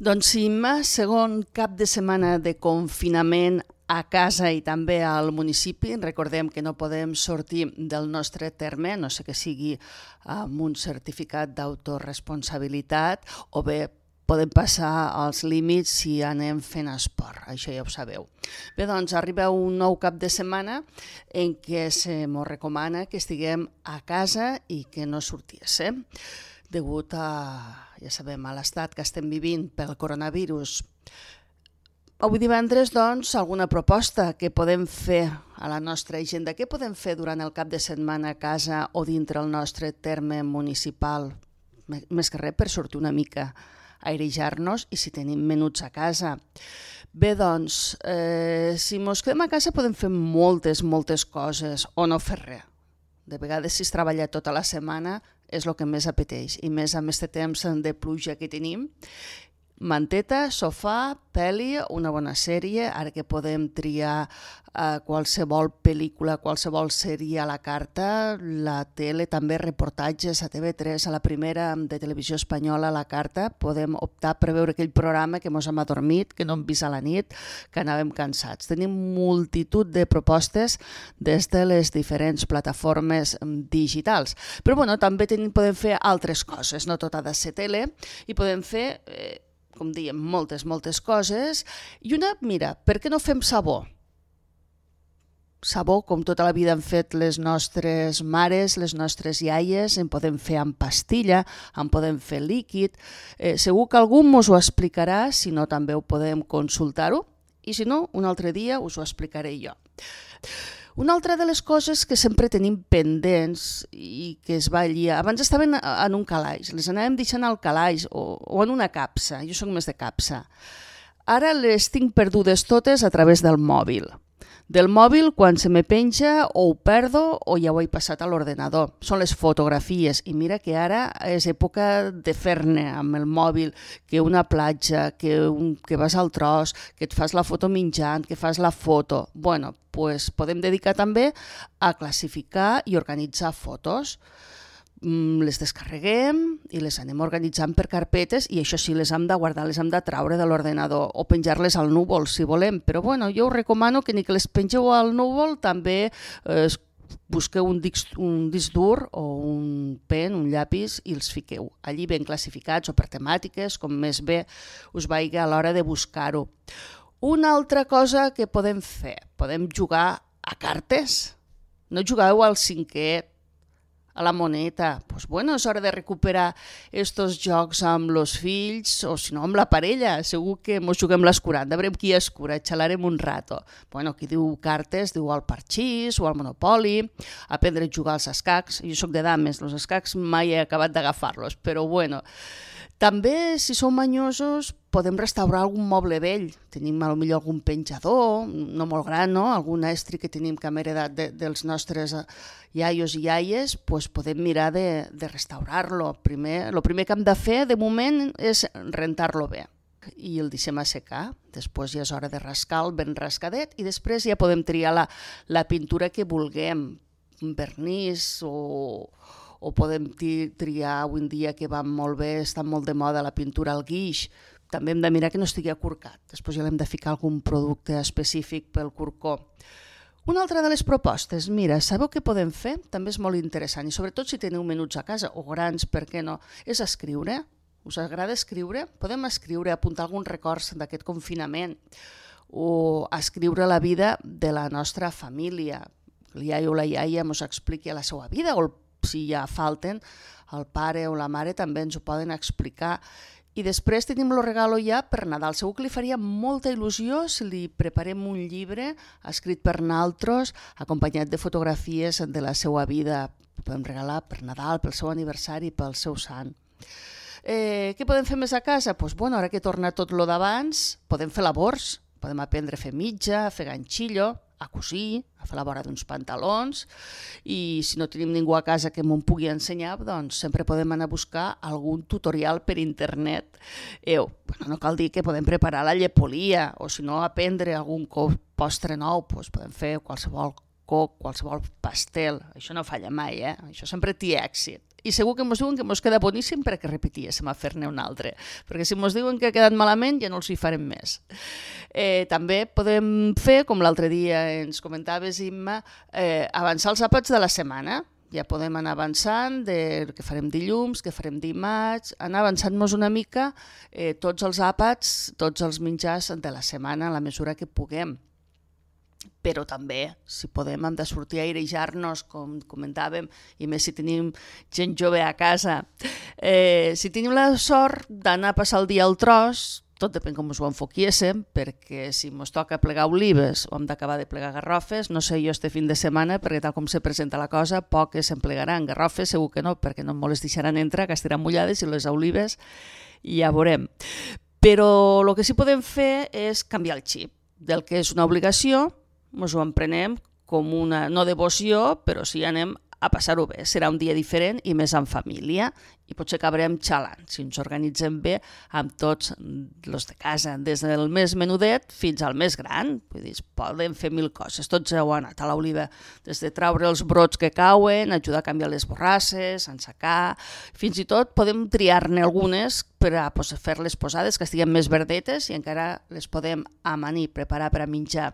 Doncs sí, segon cap de setmana de confinament a casa i també al municipi. Recordem que no podem sortir del nostre terme, no sé que sigui amb un certificat d'autoresponsabilitat o bé podem passar els límits si anem fent esport, això ja ho sabeu. Bé, doncs arriba un nou cap de setmana en què se mos recomana que estiguem a casa i que no sortíssim, degut a, ja sabem, a l'estat que estem vivint pel coronavirus. Avui divendres, doncs, alguna proposta que podem fer a la nostra agenda? Què podem fer durant el cap de setmana a casa o dintre el nostre terme municipal? Més que res per sortir una mica, airejar-nos i si tenim menuts a casa. Bé, doncs, si mos quedem a casa podem fer moltes coses o no fer res. De vegades, si es treballa tota la setmana, és el que més apeteix, i més amb aquest temps de pluja que tenim. Manteta, sofà, pel·li, una bona sèrie, ara que podem triar qualsevol pel·lícula, qualsevol sèrie a la carta, la tele, també reportatges a TV3, a la primera de televisió espanyola a la carta, podem optar per veure aquell programa que mos hem adormit, que no hem vist a la nit, que anàvem cansats. Tenim multitud de propostes des de les diferents plataformes digitals. Però bueno, també podem fer altres coses, no tot ha de ser tele, i podem fer com dèiem, moltes coses. I una, mira, per què no fem sabó? Sabó, com tota la vida han fet les nostres mares, les nostres iaies, en podem fer amb pastilla, en podem fer líquid. Segur que algú ens ho explicarà, si no també ho podem consultar-ho, i si no, un altre dia us ho explicaré jo. Una altra de les coses que sempre tenim pendents i que es va allà, abans estaven en un calaix, les anàvem deixant al calaix o en una capsa, jo soc més de capsa. Ara les tinc perdudes totes a través del mòbil. Del mòbil, quan se me penja, o ho perdo o ja ho he passat a l'ordenador. Són les fotografies, i mira que ara és època de fer-ne amb el mòbil, que una platja, que vas al tros, que et fas la foto menjant, que fas la foto. Bueno, pues podem dedicar també a classificar i organitzar fotos. Les descarreguem i les anem organitzant per carpetes, i això sí, les hem de guardar, les hem de traure de l'ordenador o penjar-les al núvol si volem, però bueno, jo us recomano que ni que les pengeu al núvol, també busqueu un disc dur o un pen, un llapis, i els fiqueu allí ben classificats o per temàtiques, com més bé us vagi a l'hora de buscar-ho. Una altra cosa que podem fer, podem jugar a cartes. No jugueu al cinquè, a la moneta. Pues bueno, és hora de recuperar estos jocs amb els fills o si no amb la parella. Segur que mos juguem l'escuranda, veurem qui escura, xalarem un rato. Bueno, qui diu cartes diu al parxís o al monopoli, aprendre a jugar als escacs. Jo soc de dames, els escacs mai he acabat d'agafar-los, però bueno. També, si som manyosos, podem restaurar algun moble vell. Tenim potser algun penjador, no molt gran, no? Algun estri que tenim que hem heredat dels nostres iaios i iaies, doncs podem mirar de restaurar-lo. El primer que hem de fer, de moment, és rentar-lo bé. I el deixem assecar. Després ja és hora de rascar-lo ben rascadet i després ja podem triar la pintura que vulguem, un vernís o podem triar avui en dia que va molt bé, està molt de moda la pintura al guix. També hem de mirar que no estigui acurcat. Després ja l'hem de ficar algun producte específic pel corcó. Una altra de les propostes, mira, sabeu què podem fer? També és molt interessant, i sobretot si teniu menuts a casa, o grans, per què no? És escriure. Us agrada escriure? Podem escriure, apuntar alguns records d'aquest confinament, o escriure la vida de la nostra família. El iaio o la iaia ens expliqui la seva vida, o si ja falten, el pare o la mare també ens ho poden explicar. I després tenim el regalo ja per Nadal. Segur que li faria molta il·lusió si li preparem un llibre escrit per nosaltres, acompanyat de fotografies de la seva vida. Ho podem regalar per Nadal, pel seu aniversari, pel seu sant. Què podem fer més a casa? Doncs bueno, ara que torna tot lo d'abans, podem fer labors. Podem aprendre a fer mitja, a fer ganxillo, a cosir, a fer la vora d'uns pantalons, i si no tenim ningú a casa que m'ho pugui ensenyar, doncs sempre podem anar a buscar algun tutorial per internet. No cal dir que podem preparar la llepolia, o si no aprendre algun postre nou, doncs podem fer qualsevol coc, qualsevol pastel. Això no falla mai, això sempre té èxit. i segur que ens diuen que ens queda boníssim perquè repetíssim a fer-ne un altre, perquè si ens diuen que ha quedat malament ja no els hi farem més. També podem fer, com l'altre dia ens comentaves, Imma, avançar els àpats de la setmana. Ja podem anar avançant de què farem dilluns, què farem dimarts, anar avançant-nos una mica tots els àpats, tots els menjars de la setmana a la mesura que puguem. Però també, si podem, hem de sortir a airejar-nos, com comentàvem, i més si tenim gent jove a casa. Si tenim la sort d'anar a passar el dia al tros, tot depèn com us ho enfoquiéssim, perquè si ens toca plegar olives o hem d'acabar de plegar garrofes, no sé jo este fin de setmana, perquè tal com se presenta la cosa, poques se'n plegaran. Garrofes segur que no, perquè no ens les deixaran entrar, que estaran mullades, i les olives ja veurem. Però el que sí podem fer és canviar el xip del que és una obligació. Ens ho emprenem com una no devoció, però sí anem a passar-ho bé. Serà un dia diferent i més en família, i potser acabarem xalant si ens organitzem bé amb tots els de casa, des del més menudet fins al més gran. Vull dir, podem fer mil coses, tots heu anat a l'oliva, des de traure els brots que cauen, ajudar a canviar les borrasses, ensecar, fins i tot podem triar-ne algunes per a fer les posades que estiguin més verdetes i encara les podem amanir, preparar per a menjar.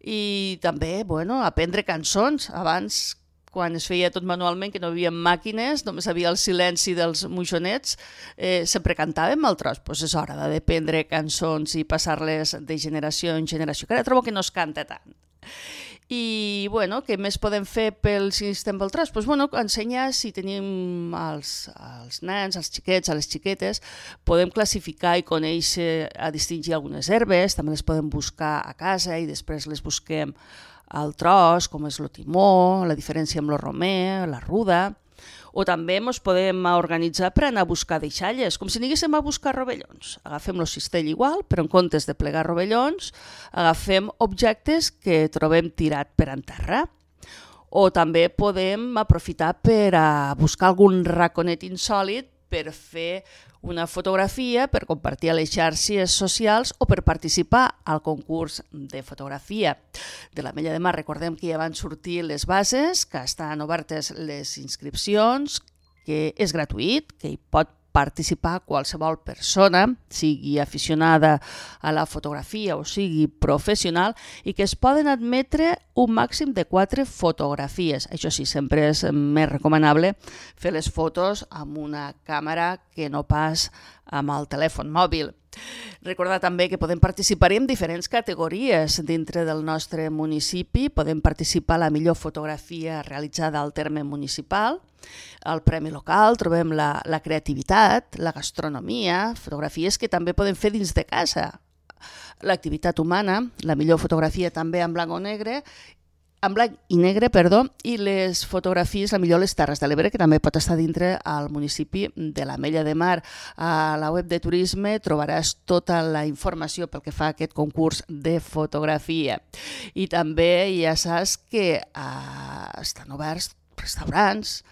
I també aprendre cançons. Abans, quan es feia tot manualment, que no hi havia màquines, només hi havia el silenci dels moixonets, sempre cantàvem al tros. Doncs és hora d'aprendre cançons i passar-les de generació en generació, que ara trobo que no es canta tant. I què més podem fer pel sistema del tros? Ensenyar, si tenim els nens, els xiquets, les xiquetes, podem classificar i conèixer, a distingir algunes herbes, també les podem buscar a casa i després les busquem al tros, com és el timó, la diferència amb el romer, la ruda. O també ens podem organitzar per anar a buscar deixalles, com si anéssim a buscar rovellons. Agafem el cistell igual, però en comptes de plegar rovellons, agafem objectes que trobem tirat per en terra. O també podem aprofitar per a buscar algun raconet insòlit per fer una fotografia, per compartir a les xarxes socials o per participar al concurs de fotografia de l'Ametlla de Mar. Recordem que ja van sortir les bases, que estan obertes les inscripcions, que és gratuït, que hi pot participar qualsevol persona, sigui aficionada a la fotografia o sigui professional, i que es poden admetre un màxim de 4 fotografies. Això sí, sempre és més recomanable fer les fotos amb una càmera que no pas amb el telèfon mòbil. Recordar també que podem participar en diferents categories dintre del nostre municipi. Podem participar a la millor fotografia realitzada al terme municipal, al Premi Local, trobem la creativitat, la gastronomia, fotografies que també podem fer dins de casa. L'activitat humana, la millor fotografia també en blanc i negre, i les fotografies, la millor les Terres de l'Ebre, que també pot estar dintre al municipi de l'Ametlla de Mar. A la web de turisme trobaràs tota la informació pel que fa a aquest concurs de fotografia. I també ja saps que estan oberts restaurants,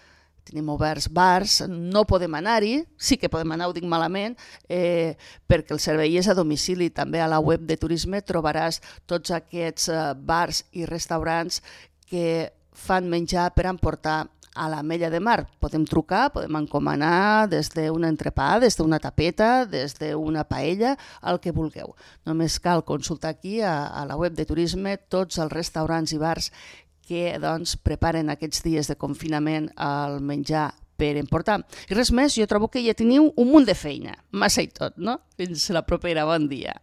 tenim oberts bars, no podem anar-hi, sí que podem anar, ho dic malament, perquè el servei és a domicili. També a la web de turisme trobaràs tots aquests bars i restaurants que fan menjar per emportar a l'Ametlla de Mar. Podem trucar, podem encomanar des d'un entrepà, des d'una tapeta, des d'una paella, el que vulgueu. Només cal consultar aquí a la web de turisme tots els restaurants i bars que preparen aquests dies de confinament el menjar per emportar. I res més, jo trobo que ja teniu un munt de feina, massa i tot, no? Fins la propera, bon dia.